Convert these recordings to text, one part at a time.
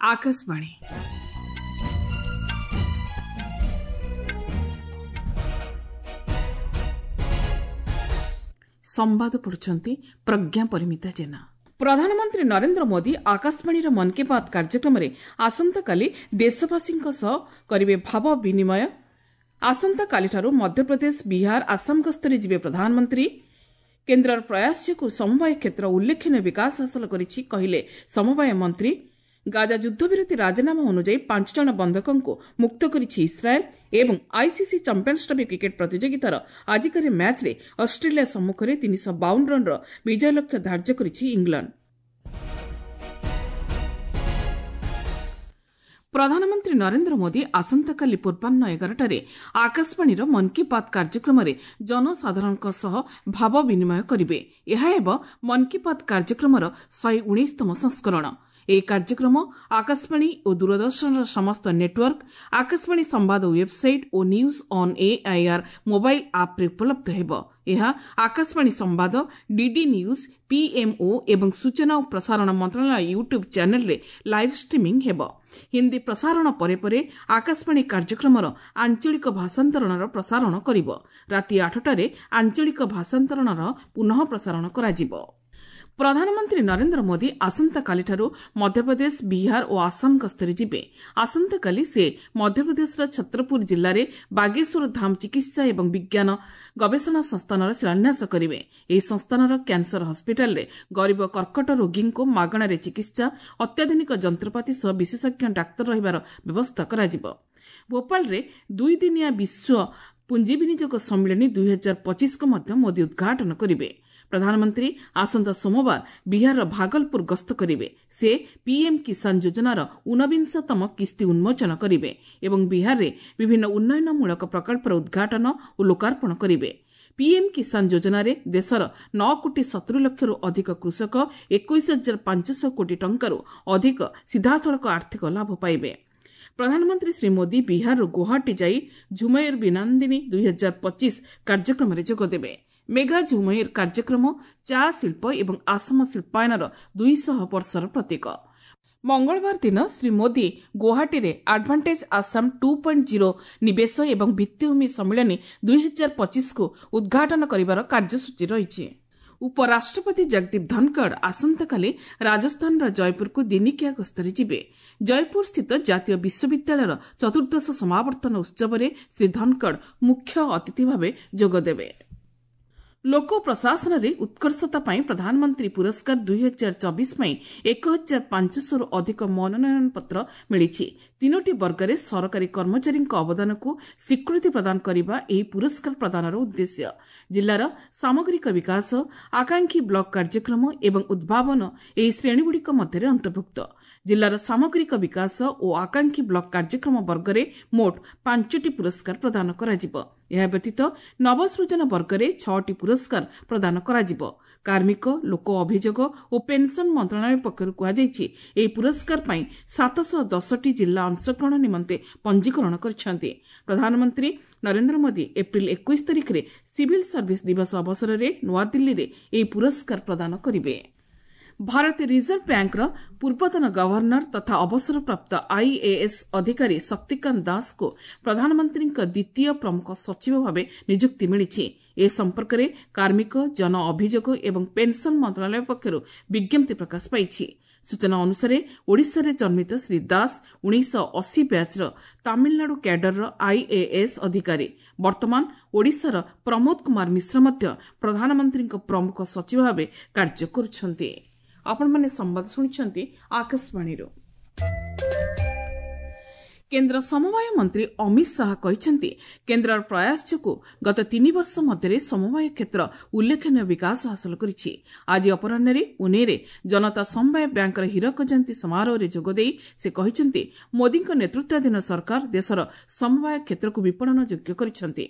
ଆକାଶବାଣୀ। ସମ୍ବାଦ ପଢୁଛନ୍ତି ପ୍ରଜ୍ଞା ପରିମିତା ଜେନା। ପ୍ରଧାନମନ୍ତ୍ରୀ ନରେନ୍ଦ୍ର ମୋଦି ଆକାଶବାଣୀର ମନ୍ କି ବାତ୍ କାର୍ଯ୍ୟକ୍ରମରେ ଆସନ୍ତାକାଲି ଦେଶବାସୀଙ୍କ ସହ କରିବେ ଭାବ ବିନିମୟ। ଆସନ୍ତାକାଲିଠାରୁ ମଧ୍ୟପ୍ରଦେଶ, ବିହାର, ଆସାମ ଗସ୍ତରେ ଯିବେ ପ୍ରଧାନମନ୍ତ୍ରୀ। କେନ୍ଦ୍ରର ପ୍ରୟାସ ଯୋଗୁଁ ସମବାୟ କ୍ଷେତ୍ର ଉଲ୍ଲେଖନୀୟ ବିକାଶ ହାସଲ କରିଛି, କହିଲେ ସମବାୟ ମନ୍ତ୍ରୀ। ଗାଜା ଯୁଦ୍ଧବିରତି ରାଜିନାମା ଅନୁଯାୟୀ 5 ଜଣ ବନ୍ଧକଙ୍କୁ ମୁକ୍ତ କରିଛି ଇସ୍ରାଏଲ୍। ଏବଂ ଆଇସିସି ଚାମ୍ପିୟନ୍ସ ଟ୍ରଫି କ୍ରିକେଟ୍ ପ୍ରତିଯୋଗିତାର ଆଜିକାଲି ମ୍ୟାଚ୍ରେ ଅଷ୍ଟ୍ରେଲିଆ ସମ୍ମୁଖରେ 352 ରନ୍ର ବିଜୟ ଲକ୍ଷ୍ୟ ଧାର୍ଯ୍ୟ କରିଛି ଇଂଲଣ୍ଡ। ପ୍ରଧାନମନ୍ତ୍ରୀ ନରେନ୍ଦ୍ର ମୋଦି ଆସନ୍ତାକାଲି ପୂର୍ବାହ୍ନ 11ଟାରେ ଆକାଶବାଣୀର ମନ୍ କି ବାତ୍ କାର୍ଯ୍ୟକ୍ରମରେ ଜନସାଧାରଣଙ୍କ ସହ ଭାବ ବିନିମୟ କରିବେ। ଏହା ହେବ ମନ୍ କି ବାତ୍ କାର୍ଯ୍ୟକ୍ରମର 119ତମ ସଂସ୍କରଣ। ଏହି କାର୍ଯ୍ୟକ୍ରମ ଆକାଶବାଣୀ ଓ ଦୂରଦର୍ଶନର ସମସ୍ତ ନେଟୱାର୍କ, ଆକାଶବାଣୀ ସମ୍ବାଦ website O news on AIR mobile ଆପ୍ରେ ଉପଲବ୍ଧ ହେବ। ଏହା ଆକାଶବାଣୀ ସମ୍ବାଦ, ଡିଡି ନ୍ୟୁଜ୍, ପିଏମ୍ଓ ଏବଂ ସୂଚନା ଓ ପ୍ରସାରଣ ମନ୍ତ୍ରଣାଳୟ ୟୁଟ୍ୟୁବ୍ ଚ୍ୟାନେଲ୍ରେ ଲାଇଭ୍ ଷ୍ଟ୍ରିମିଂ ହେବ। ହିନ୍ଦୀ ପ୍ରସାରଣ ପରେ ପରେ ଆକାଶବାଣୀ କାର୍ଯ୍ୟକ୍ରମର ଆଞ୍ଚଳିକ ଭାଷାନ୍ତରଣର ପ୍ରସାରଣ କରିବ। ରାତି 8ଟାରେ ଆଞ୍ଚଳିକ ଭାଷାନ୍ତରଣର ପୁନଃ ପ୍ରସାରଣ କରାଯିବ। ପ୍ରଧାନମନ୍ତ୍ରୀ ନରେନ୍ଦ୍ର ମୋଦି ଆସନ୍ତାକାଲିଠାରୁ ମଧ୍ୟପ୍ରଦେଶ, ବିହାର ଓ ଆସାମ ଗସ୍ତରେ ଯିବେ। ଆସନ୍ତାକାଲି ସେ ମଧ୍ୟପ୍ରଦେଶର ଛତ୍ରପୁର ଜିଲ୍ଲାରେ ବାଗେଶ୍ୱର ଧାମ ଚିକିତ୍ସା ଏବଂ ବିଜ୍ଞାନ ଗବେଷଣା ସଂସ୍ଥାନର ଶିଳାନ୍ୟାସ କରିବେ। ଏହି ସଂସ୍ଥାନର କ୍ୟାନ୍ସର ହସ୍ପିଟାଲରେ ଗରିବ କର୍କଟ ରୋଗୀଙ୍କୁ ମାଗଣାରେ ଚିକିତ୍ସା, ଅତ୍ୟାଧୁନିକ ଯନ୍ତ୍ରପାତି ସହ ବିଶେଷଜ୍ଞ ଡାକ୍ତର ରହିବାର ବ୍ୟବସ୍ଥା କରାଯିବ। ଭୋପାଳରେ ଦୁଇଦିନିଆ ବିଶ୍ୱ ପୁଞ୍ଜିବିନିଯୋଗ ସମ୍ମିଳନୀ 2025କୁ ମଧ୍ୟ ମୋଦି ଉଦ୍ଘାଟନ କରିବେ। ପ୍ରଧାନମନ୍ତ୍ରୀ ଆସନ୍ତା ସୋମବାର ବିହାରର ଭାଗଲପୁର ଗସ୍ତ କରିବେ। ସେ ପିଏମ୍ କିଷାନ ଯୋଜନାର 19ତମ କିସ୍ତି ଉନ୍ମୋଚନ କରିବେ ଏବଂ ବିହାରରେ ବିଭିନ୍ନ ଉନ୍ନୟନମୂଳକ ପ୍ରକଳ୍ପର ଉଦ୍ଘାଟନ ଓ ଲୋକାର୍ପଣ କରିବେ। ପିଏମ୍ କିଷାନ ଯୋଜନାରେ ଦେଶର 9 କୋଟି 70 ଲକ୍ଷରୁ ଅଧିକ କୃଷକ 21,500 କୋଟି ଟଙ୍କାରୁ ଅଧିକ ସିଧାସଳଖ ଆର୍ଥିକ ଲାଭ ପାଇବେ। ପ୍ରଧାନମନ୍ତ୍ରୀ ଶ୍ରୀ ମୋଦି ବିହାରରୁ ଗୁଆହାଟୀ ଯାଇ ଝୁମେର ବିନାନ୍ଦିନୀ 2025 କାର୍ଯ୍ୟକ୍ରମରେ ଯୋଗଦେବେ। ମେଗା ଝୁମେର କାର୍ଯ୍ୟକ୍ରମ ଚା ଶିଳ୍ପ ଏବଂ ଆସାମ ଶିଳ୍ପାୟନର 200 ବର୍ଷର ପ୍ରତୀକ। ମଙ୍ଗଳବାର ଦିନ ଶ୍ରୀ ମୋଦି ଗୁଆହାଟୀରେ ଆଡଭାଣ୍ଟେଜ୍ ଆସାମ 2.0 ନିବେଶ ଏବଂ ଭିତ୍ତିଭୂମି ସମ୍ମିଳନୀ 2025କୁ ଉଦ୍ଘାଟନ କରିବାର କାର୍ଯ୍ୟସୂଚୀ ରହିଛି। ଉପରାଷ୍ଟ୍ରପତି ଜଗଦୀପ ଧନଖଡ଼ ଆସନ୍ତାକାଲି ରାଜସ୍ଥାନର ଜୟପୁରକୁ ଦିନିକିଆ ଗସ୍ତରେ ଯିବେ। ଜୟପୁରସ୍ଥିତ ଜାତୀୟ ବିଶ୍ୱବିଦ୍ୟାଳୟର ଚତୁର୍ଦ୍ଦଶ ସମାବର୍ତ୍ତନ ଉତ୍ସବରେ ଶ୍ରୀ ଧନଖଡ଼ ମୁଖ୍ୟ ଅତିଥି ଭାବେ ଯୋଗଦେବେ। ଲୋକ ପ୍ରଶାସନରେ ଉତ୍କର୍ଷତା ପାଇଁ ପ୍ରଧାନମନ୍ତ୍ରୀ ପୁରସ୍କାର 2024 ପାଇଁ 1500ରୁ ଅଧିକ ମନୋନୟନ ପତ୍ର ମିଳିଛି। ତିନୋଟି ବର୍ଗରେ ସରକାରୀ କର୍ମଚାରୀଙ୍କ ଅବଦାନକୁ ସ୍ୱୀକୃତି ପ୍ରଦାନ କରିବା ଏହି ପୁରସ୍କାର ପ୍ରଦାନର ଉଦ୍ଦେଶ୍ୟ। ଜିଲ୍ଲାର ସାମଗ୍ରିକ ବିକାଶ, ଆକାଂକ୍ଷୀ ବ୍ଲକ କାର୍ଯ୍ୟକ୍ରମ ଏବଂ ଉଦ୍ଭାବନ ଏହି ଶ୍ରେଣୀଗୁଡ଼ିକ ମଧ୍ୟରେ ଅନ୍ତର୍ଭୁକ୍ତ। ଜିଲ୍ଲାର ସାମଗ୍ରିକ ବିକାଶ ଓ ଆକାଂକ୍ଷୀ ବ୍ଲକ କାର୍ଯ୍ୟକ୍ରମ ବର୍ଗରେ ମୋଟ 5ଟି ପୁରସ୍କାର ପ୍ରଦାନ କରାଯିବ। ଏହା ବ୍ୟତୀତ ନବସୃଜନ ବର୍ଗରେ 6ଟି ପୁରସ୍କାର ପ୍ରଦାନ କରାଯିବ। କାର୍ମିକ, ଲୋକ ଅଭିଯୋଗ ଓ ପେନ୍ସନ୍ ମନ୍ତ୍ରଣାଳୟ ପକ୍ଷରୁ କୁହାଯାଇଛି, ଏହି ପୁରସ୍କାର ପାଇଁ 710ଟି ଜିଲ୍ଲା ଅଂଶଗ୍ରହଣ ନିମନ୍ତେ ପଞ୍ଜୀକରଣ କରିଛନ୍ତି। ପ୍ରଧାନମନ୍ତ୍ରୀ ନରେନ୍ଦ୍ର ମୋଦି ଏପ୍ରିଲ 21 ତାରିଖରେ ସିଭିଲ୍ ସର୍ଭିସ୍ ଦିବସ ଅବସରରେ ନୂଆଦିଲ୍ଲୀରେ ଏହି ପୁରସ୍କାର ପ୍ରଦାନ କରିବେ। ଭାରତୀୟ ରିଜର୍ଭ ବ୍ୟାଙ୍କର ପୂର୍ବତନ ଗଭର୍ଣ୍ଣର ତଥା ଅବସରପ୍ରାପ୍ତ ଆଇଏଏସ୍ ଅଧିକାରୀ ଶକ୍ତିକାନ୍ତ ଦାସଙ୍କୁ ପ୍ରଧାନମନ୍ତ୍ରୀଙ୍କ ଦ୍ୱିତୀୟ ପ୍ରମୁଖ ସଚିବ ଭାବେ ନିଯୁକ୍ତି ମିଳିଛି। ଏ ସମ୍ପର୍କରେ କାର୍ମିକ, ଜନ ଅଭିଯୋଗ ଏବଂ ପେନ୍ସନ୍ ମନ୍ତ୍ରଣାଳୟ ପକ୍ଷରୁ ବିଜ୍ଞପ୍ତି ପ୍ରକାଶ ପାଇଛି। ସୂଚନା ଅନୁସାରେ ଓଡ଼ିଶାରେ ଜନ୍ମିତ ଶ୍ରୀ ଦାସ 1980 ବ୍ୟାଚ୍ର ତାମିଲନାଡୁ କ୍ୟାଡରର ଆଇଏଏସ୍ ଅଧିକାରୀ। ବର୍ତ୍ତମାନ ଓଡ଼ିଶାର ପ୍ରମୋଦ କୁମାର ମିଶ୍ର ମଧ୍ୟ ପ୍ରଧାନମନ୍ତ୍ରୀଙ୍କ ପ୍ରମୁଖ ସଚିବ ଭାବେ କାର୍ଯ୍ୟ କରୁଛନ୍ତି। ଆପଣମାନେ ସମ୍ବାଦ ଶୁଣିଛନ୍ତି ଆକାଶବାଣୀରୁ। କେନ୍ଦ୍ର ସମବାୟ ମନ୍ତ୍ରୀ ଅମିତ ଶାହା କହିଛନ୍ତି, କେନ୍ଦ୍ରର ପ୍ରୟାସ ଯୋଗୁଁ ଗତ 3 ବର୍ଷ ମଧ୍ୟରେ ସମବାୟ କ୍ଷେତ୍ର ଉଲ୍ଲେଖନୀୟ ବିକାଶ ହାସଲ କରିଛି। ଆଜି ଅପରାହ୍ନରେ ପୁନେରେ ଜନତା ସମବାୟ ବ୍ୟାଙ୍କର ହୀରକ ଜୟନ୍ତୀ ସମାରୋହରେ ଯୋଗଦେଇ ସେ କହିଛନ୍ତି, ମୋଦିଙ୍କ ନେତୃତ୍ୱାଧୀନ ସରକାର ଦେଶର ସମବାୟ କ୍ଷେତ୍ରକୁ ବିପଣନ ଯୋଗ୍ୟ କରିଛନ୍ତି।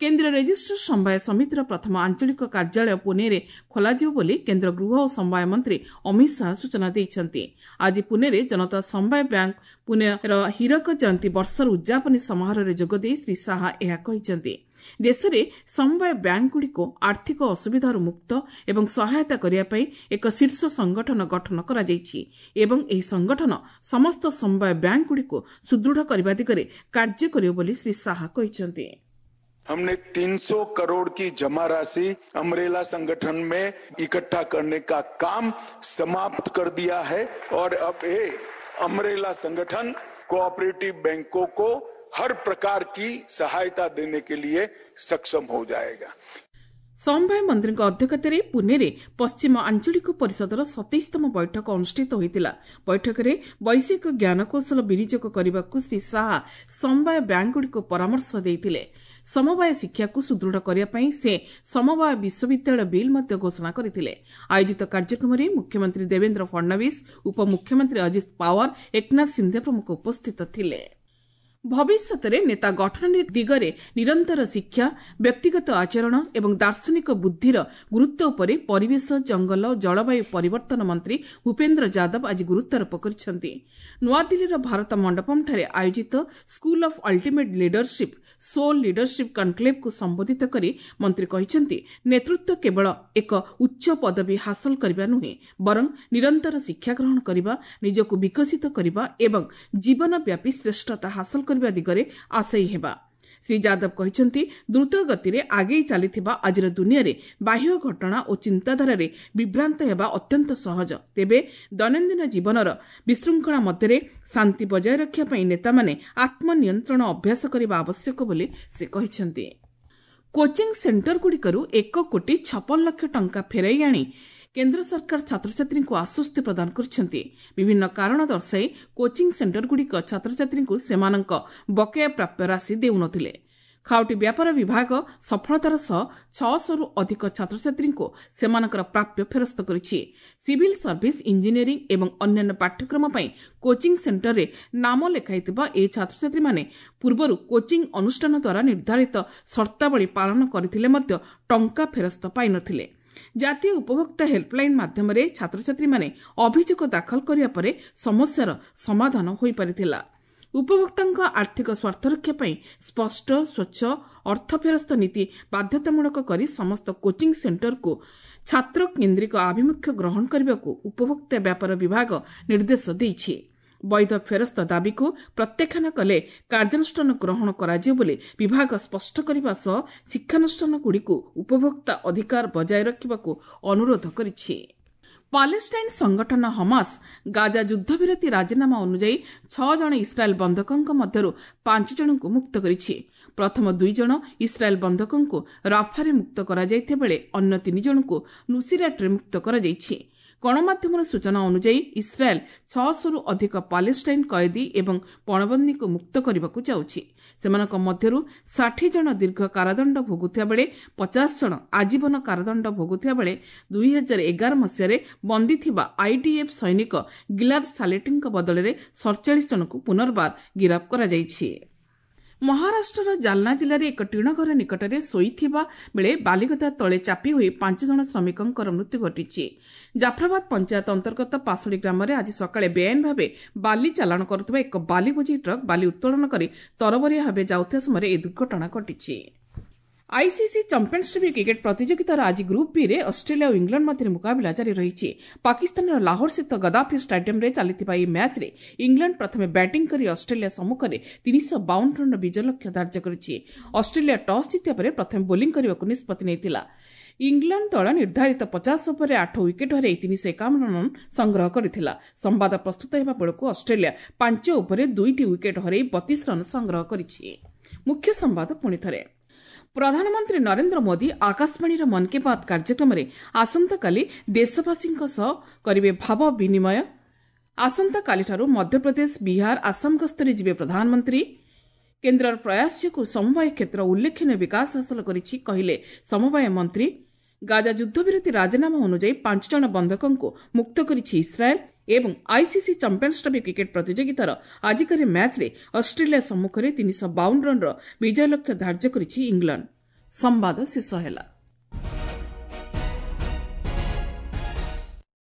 କେନ୍ଦ୍ର ରେଜିଷ୍ଟର ସମବାୟ ସମିତିର ପ୍ରଥମ ଆଞ୍ଚଳିକ କାର୍ଯ୍ୟାଳୟ ପୁନେରେ ଖୋଲାଯିବ ବୋଲି କେନ୍ଦ୍ର ଗୃହ ଓ ସମବାୟ ମନ୍ତ୍ରୀ ଅମିତ ଶାହା ସୂଚନା ଦେଇଛନ୍ତି। ଆଜି ପୁନେରେ ଜନତା ସମବାୟ ବ୍ୟାଙ୍କ ପୁନେର ହୀରକ ଜୟନ୍ତୀ ବର୍ଷର ଉଦ୍ଯାପନୀ ସମାରୋହରେ ଯୋଗଦେଇ ଶ୍ରୀ ଶାହା ଏହା କହିଛନ୍ତି। ଦେଶରେ ସମବାୟ ବ୍ୟାଙ୍କଗୁଡ଼ିକୁ ଆର୍ଥିକ ଅସୁବିଧାରୁ ମୁକ୍ତ ଏବଂ ସହାୟତା କରିବା ପାଇଁ ଏକ ଶୀର୍ଷ ସଂଗଠନ ଗଠନ କରାଯାଇଛି ଏବଂ ଏହି ସଂଗଠନ ସମସ୍ତ ସମବାୟ ବ୍ୟାଙ୍କଗୁଡ଼ିକୁ ସୁଦୃଢ଼ କରିବା ଦିଗରେ କାର୍ଯ୍ୟ କରିବ ବୋଲି ଶ୍ରୀ ଶାହା କହିଛନ୍ତି। हमने 300 करोड़ की जमा राशि अम्ब्रेला संगठन में इकट्ठा करने का काम समाप्त कर दिया है और अब ये अम्ब्रेला संगठन कोऑपरेटिव बैंकों को हर प्रकार की सहायता देने के लिए सक्षम हो जाएगा। ସମବାୟ ମନ୍ତ୍ରୀଙ୍କ ଅଧ୍ୟକ୍ଷତାରେ ପୁନେରେ ପଶ୍ଚିମ ଆଞ୍ଚଳିକ ପରିଷଦର 27ତମ ବୈଠକ ଅନୁଷ୍ଠିତ ହୋଇଥିଲା। ବୈଠକରେ ବୈଷୟିକ ଜ୍ଞାନକୌଶଳ ବିନିଯୋଗ କରିବାକୁ ଶ୍ରୀ ଶାହା ସମବାୟ ବ୍ୟାଙ୍କଗୁଡ଼ିକୁ ପରାମର୍ଶ ଦେଇଥିଲେ। ସମବାୟ ଶିକ୍ଷାକୁ ସୁଦୃଢ଼ କରିବା ପାଇଁ ସେ ସମବାୟ ବିଶ୍ୱବିଦ୍ୟାଳୟ ବିଲ୍ ମଧ୍ୟ ଘୋଷଣା କରିଥିଲେ। ଆୟୋଜିତ କାର୍ଯ୍ୟକ୍ରମରେ ମୁଖ୍ୟମନ୍ତ୍ରୀ ଦେବେନ୍ଦ୍ର ଫଡ୍ନବୀସ, ଉପମୁଖ୍ୟମନ୍ତ୍ରୀ ଅଜିତ ପାୱାର, ଏକନାଥ ସିନ୍ଧେ ପ୍ରମୁଖ ଉପସ୍ଥିତ ଥିଲେ। ଭବିଷ୍ୟତରେ ନେତା ଗଠନ ଦିଗରେ ନିରନ୍ତର ଶିକ୍ଷା, ବ୍ୟକ୍ତିଗତ ଆଚରଣ ଏବଂ ଦାର୍ଶନିକ ବୁଦ୍ଧିର ଗୁରୁତ୍ୱ ଉପରେ ପରିବେଶ, ଜଙ୍ଗଲ ଓ ଜଳବାୟୁ ପରିବର୍ତ୍ତନ ମନ୍ତ୍ରୀ ଭୂପେନ୍ଦ୍ର ଯାଦବ ଆଜି ଗୁରୁତ୍ୱାରୋପ କରିଛନ୍ତି। ନୂଆଦିଲ୍ଲୀର ଭାରତ ମଣ୍ଡପମ୍ଠାରେ ଆୟୋଜିତ school of ultimate leadership soul leadership କନ୍କ୍ଲେଭ୍କୁ ସମ୍ବୋଧିତ କରି ମନ୍ତ୍ରୀ କହିଛନ୍ତି, ନେତୃତ୍ୱ କେବଳ ଏକ ଉଚ୍ଚ ପଦବୀ ହାସଲ କରିବା ନୁହେଁ, ବରଂ ନିରନ୍ତର ଶିକ୍ଷା ଗ୍ରହଣ କରିବା, ନିଜକୁ ବିକଶିତ କରିବା ଏବଂ ଜୀବନବ୍ୟାପୀ ଶ୍ରେଷ୍ଠତା ହାସଲ କରିବା ଦିଗରେ ଆଶୟୀ ହେବା। ଶ୍ରୀ ଯାଦବ କହିଛନ୍ତି, ଦ୍ରୁତ ଗତିରେ ଆଗେଇ ଚାଲିଥିବା ଆଜିର ଦୁନିଆରେ ବାହ୍ୟ ଘଟଣା ଓ ଚିନ୍ତାଧାରାରେ ବିଭ୍ରାନ୍ତ ହେବା ଅତ୍ୟନ୍ତ ସହଜ। ତେବେ ଦୈନନ୍ଦିନ ଜୀବନର ବିଶୃଙ୍ଖଳା ମଧ୍ୟରେ ଶାନ୍ତି ବଜାୟ ରଖିବା ପାଇଁ ନେତାମାନେ ଆତ୍ମନିୟନ୍ତ୍ରଣ ଅଭ୍ୟାସ କରିବା ଆବଶ୍ୟକ ବୋଲି ସେ କହିଛନ୍ତି। କୋଚିଂ ସେଣ୍ଟରଗୁଡ଼ିକରୁ 1,56,00,000 ଟଙ୍କା ଫେରାଇ ଆଣି କେନ୍ଦ୍ର ସରକାର ଛାତ୍ରଛାତ୍ରୀଙ୍କୁ ଆଶ୍ୱସ୍ତି ପ୍ରଦାନ କରିଛନ୍ତି। ବିଭିନ୍ନ କାରଣ ଦର୍ଶାଇ କୋଚିଂ ସେଣ୍ଟରଗୁଡ଼ିକ ଛାତ୍ରଛାତ୍ରୀଙ୍କୁ ସେମାନଙ୍କ ବକେୟା ପ୍ରାପ୍ୟ ରାଶି ଦେଉନଥିଲେ। ଖାଉଟି ବ୍ୟାପାର ବିଭାଗ ସଫଳତାର ସହ 600ରୁ ଅଧିକ ଛାତ୍ରଛାତ୍ରୀଙ୍କୁ ସେମାନଙ୍କର ପ୍ରାପ୍ୟ ଫେରସ୍ତ କରିଛି। ସିଭିଲ୍ ସର୍ଭିସ, ଇଞ୍ଜିନିୟରିଂ ଏବଂ ଅନ୍ୟାନ୍ୟ ପାଠ୍ୟକ୍ରମ ପାଇଁ କୋଚିଂ ସେଣ୍ଟରରେ ନାମ ଲେଖାଇଥିବା ଏହି ଛାତ୍ରଛାତ୍ରୀମାନେ ପୂର୍ବରୁ କୋଚିଂ ଅନୁଷ୍ଠାନ ଦ୍ୱାରା ନିର୍ଦ୍ଧାରିତ ସର୍ତ୍ତାବଳୀ ପାଳନ କରିଥିଲେ ମଧ୍ୟ ଟଙ୍କା ଫେରସ୍ତ ପାଇନଥିଲେ। ଜାତୀୟ ଉପଭୋକ୍ତା ହେଲ୍ପଲାଇନ୍ ମାଧ୍ୟମରେ ଛାତ୍ରଛାତ୍ରୀମାନେ ଅଭିଯୋଗ ଦାଖଲ କରିବା ପରେ ସମସ୍ୟାର ସମାଧାନ ହୋଇପାରିଥିଲା। ଉପଭୋକ୍ତାଙ୍କ ଆର୍ଥିକ ସ୍ୱାର୍ଥରକ୍ଷା ପାଇଁ ସ୍ପଷ୍ଟ, ସ୍ୱଚ୍ଛ ଅର୍ଥ ଫେରସ୍ତ ନୀତି ବାଧ୍ୟତାମୂଳକ କରି ସମସ୍ତ କୋଚିଂ ସେଣ୍ଟରକୁ ଛାତ୍ର କେନ୍ଦ୍ରିକ ଆଭିମୁଖ୍ୟ ଗ୍ରହଣ କରିବାକୁ ଉପଭୋକ୍ତା ବ୍ୟାପାର ବିଭାଗ ନିର୍ଦ୍ଦେଶ ଦେଇଛି। ବୈଧ ଫେରସ୍ତ ଦାବିକୁ ପ୍ରତ୍ୟାଖ୍ୟାନ କଲେ କାର୍ଯ୍ୟାନୁଷ୍ଠାନ ଗ୍ରହଣ କରାଯିବ ବୋଲି ବିଭାଗ ସ୍ପଷ୍ଟ କରିବା ସହ ଶିକ୍ଷାନୁଷ୍ଠାନଗୁଡ଼ିକୁ ଉପଭୋକ୍ତା ଅଧିକାର ବଜାୟ ରଖିବାକୁ ଅନୁରୋଧ କରିଛି। ପାଲେଷ୍ଟାଇନ୍ ସଂଗଠନ ହମାସ ଗାଜା ଯୁଦ୍ଧବିରତି ରାଜିନାମା ଅନୁଯାୟୀ 6 ଜଣ ଇସ୍ରାଏଲ୍ ବନ୍ଧକଙ୍କ ମଧ୍ୟରୁ 5 ଜଣଙ୍କୁ ମୁକ୍ତ କରିଛି। ପ୍ରଥମ 2 ଜଣ ଇସ୍ରାଏଲ୍ ବନ୍ଧକଙ୍କୁ ରାଫାରେ ମୁକ୍ତ କରାଯାଇଥିବା ବେଳେ ଅନ୍ୟ 3 ଜଣଙ୍କୁ ନୁସିରାଟ୍ରେ ମୁକ୍ତ କରାଯାଇଛି। ଗଣମାଧ୍ୟମର ସୂଚନା ଅନୁଯାୟୀ ଇସ୍ରାଏଲ୍ 600ରୁ ଅଧିକ ପାଲେଷ୍ଟାଇନ୍ କଏଦୀ ଏବଂ ପଣବନ୍ଦୀଙ୍କୁ ମୁକ୍ତ କରିବାକୁ ଯାଉଛି। ସେମାନଙ୍କ ମଧ୍ୟରୁ 60 ଜଣ ଦୀର୍ଘ କାରାଦଣ୍ଡ ଭୋଗୁଥିବା ବେଳେ 50 ଜଣ ଆଜୀବନ କାରାଦଣ୍ଡ ଭୋଗୁଥିବା ବେଳେ 2011 ମସିହାରେ ବନ୍ଦୀ ଥିବା ଆଇଡିଏଫ୍ ସୈନିକ ଗିଲାଦ ସାଲେଟିଙ୍କ ବଦଳରେ 47 ଜଣଙ୍କୁ ପୁନର୍ବାର ଗିରଫ କରାଯାଇଛି। ମହାରାଷ୍ଟ୍ରର ଜାଲନା ଜିଲ୍ଲାରେ ଏକ ଟିଣଘର ନିକଟରେ ଶୋଇଥିବା ବେଳେ ବାଲିଗଦା ତଳେ ଚାପି ହୋଇ 5 ଜଣ ଶ୍ରମିକଙ୍କର ମୃତ୍ୟୁ ଘଟିଛି। ଜାଫରାବାଦ ପଞ୍ଚାୟତ ଅନ୍ତର୍ଗତ ପାଶୁଡ଼ି ଗ୍ରାମରେ ଆଜି ସକାଳେ ବେଆଇନ ଭାବେ ବାଲି ଚାଲାଣ କରୁଥିବା ଏକ ବାଲି ବୋଝେଇ ଟ୍ରକ୍ ବାଲି ଉତ୍ତୋଳନ କରି ତରବରିଆ ଭାବେ ଯାଉଥିବା ସମୟରେ ଏହି ଦୁର୍ଘଟଣା ଘଟିଛି। ଆଇସିସି ଚାମ୍ପିୟନ୍ସ ଟ୍ରଫି କ୍ରିକେଟ୍ ପ୍ରତିଯୋଗିତାର ଆଜି ଗ୍ରୁପ୍ ବିରେ ଅଷ୍ଟ୍ରେଲିଆ ଓ ଇଂଲଣ୍ଡ ମଧ୍ୟରେ ମୁକାବିଲା ଜାରି ରହିଛି। ପାକିସ୍ତାନର ଲାହୋରସ୍ଥିତ ଗଦାଫି ଷ୍ଟାଡିୟମ୍ରେ ଚାଲିଥିବା ଏହି ମ୍ୟାଚ୍ରେ ଇଂଲଣ୍ଡ ପ୍ରଥମେ ବ୍ୟାଟିଂ କରି ଅଷ୍ଟ୍ରେଲିଆ ସମ୍ମୁଖରେ 352 ରନ୍ର ବିଜୟ ଲକ୍ଷ୍ୟ ଧାର୍ଯ୍ୟ କରିଛି। ଅଷ୍ଟ୍ରେଲିଆ ଟସ୍ ଜିତିବା ପରେ ପ୍ରଥମେ ବୋଲିଂ କରିବାକୁ ନିଷ୍ପତ୍ତି ନେଇଥିଲା। ଇଂଲଣ୍ଡ ଦଳ ନିର୍ଦ୍ଧାରିତ 50 ଓଭରରେ 8 ୱିକେଟ୍ ହରାଇ 351 ରନ୍ ସଂଗ୍ରହ କରିଥିଲା। ସମ୍ବାଦ ପ୍ରସ୍ତୁତ ହେବା ବେଳକୁ ଅଷ୍ଟ୍ରେଲିଆ 5 ଓଭରରେ 2ଟି ୱିକେଟ୍ ହରାଇ 32 ରନ୍ ସଂଗ୍ରହ କରିଛି। ମୁଖ୍ୟ ସମ୍ବାଦ ପୁଣିଥରେ। ପ୍ରଧାନମନ୍ତ୍ରୀ ନରେନ୍ଦ୍ର ମୋଦି ଆକାଶବାଣୀର ମନ୍ କି ବାତ୍ କାର୍ଯ୍ୟକ୍ରମରେ ଆସନ୍ତାକାଲି ଦେଶବାସୀଙ୍କ ସହ କରିବେ ଭାବ ବିନିମୟ। ଆସନ୍ତାକାଲିଠାରୁ ମଧ୍ୟପ୍ରଦେଶ, ବିହାର, ଆସାମ ଗସ୍ତରେ ଯିବେ ପ୍ରଧାନମନ୍ତ୍ରୀ। କେନ୍ଦ୍ରର ପ୍ରୟାସ ଯୋଗୁଁ ସମବାୟ କ୍ଷେତ୍ର ଉଲ୍ଲେଖନୀୟ ବିକାଶ ହାସଲ କରିଛି, କହିଲେ ସମବାୟ ମନ୍ତ୍ରୀ। ଗାଜା ଯୁଦ୍ଧବିରତି ରାଜିନାମା ଅନୁଯାୟୀ 5 ଜଣ ବନ୍ଧକଙ୍କୁ ମୁକ୍ତ କରିଛି ଇସ୍ରାଏଲ୍। ଏବଂ ଆଇସିସି ଚାମ୍ପିୟନ୍ସ ଟ୍ରଫି କ୍ରିକେଟ୍ ପ୍ରତିଯୋଗିତାର ଆଜିକାଲି ମ୍ୟାଚ୍ରେ ଅଷ୍ଟ୍ରେଲିଆ ସମ୍ମୁଖରେ 352 ରନ୍ର ବିଜୟ ଲକ୍ଷ୍ୟ ଧାର୍ଯ୍ୟ କରିଛି ଇଂଲଣ୍ଡ। ସମ୍ବାଦ ଶେଷ ହେଲା।